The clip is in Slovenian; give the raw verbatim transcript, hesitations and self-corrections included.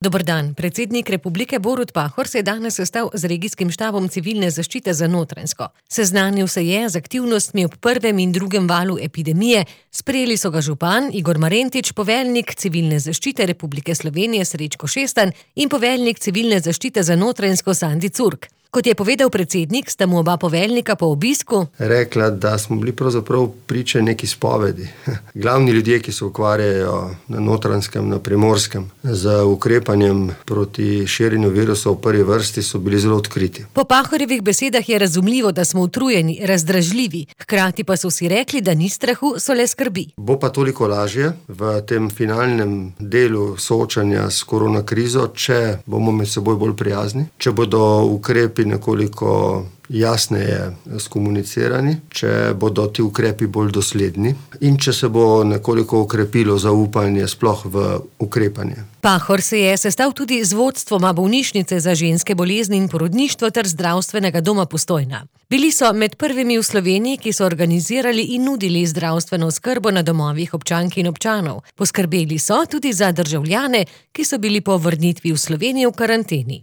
Dober dan. Predsednik republike Borut Pahor se je danes sestal z regijskim štabom civilne zaščite za Notranjsko. Seznanil se je z aktivnostmi ob prvem in drugem valu epidemije, sprejeli so ga župan Igor Marentič, poveljnik civilne zaščite Republike Slovenije Srečko Šestan in poveljnik civilne zaščite za Notranjsko Sandi Curk. Kot je povedal predsednik, sta mu oba poveljnika po obisku rekla, da smo bili pravzaprav priče neki spovedi. Glavni ljudje, ki se ukvarjajo na Notranjskem, na Primorskem, z ukrepanjem proti širjenju virusa v prvi vrsti, so bili zelo odkriti. Po Pahorjevih besedah je razumljivo, da smo utrujeni, razdražljivi, hkrati pa so si rekli, da ni strahu, so le skrbi. Bo pa toliko lažje v tem finalnem delu soočanja s korona krizo, če bomo med seboj bolj prijazni, če bodo ukrepi nekoliko jasneje skomunicirani, če bodo ti ukrepi bolj dosledni in če se bo nekoliko okrepilo zaupanje sploh v ukrepanje. Pahor se je sestal tudi z vodstvoma bolnišnice za ženske bolezni in porodništvo ter zdravstvenega doma Postojna. Bili so med prvimi v Sloveniji, ki so organizirali in nudili zdravstveno oskrbo na domovih občank in občanov. Poskrbeli so tudi za državljane, ki so bili po vrnitvi v Slovenijo v karanteni.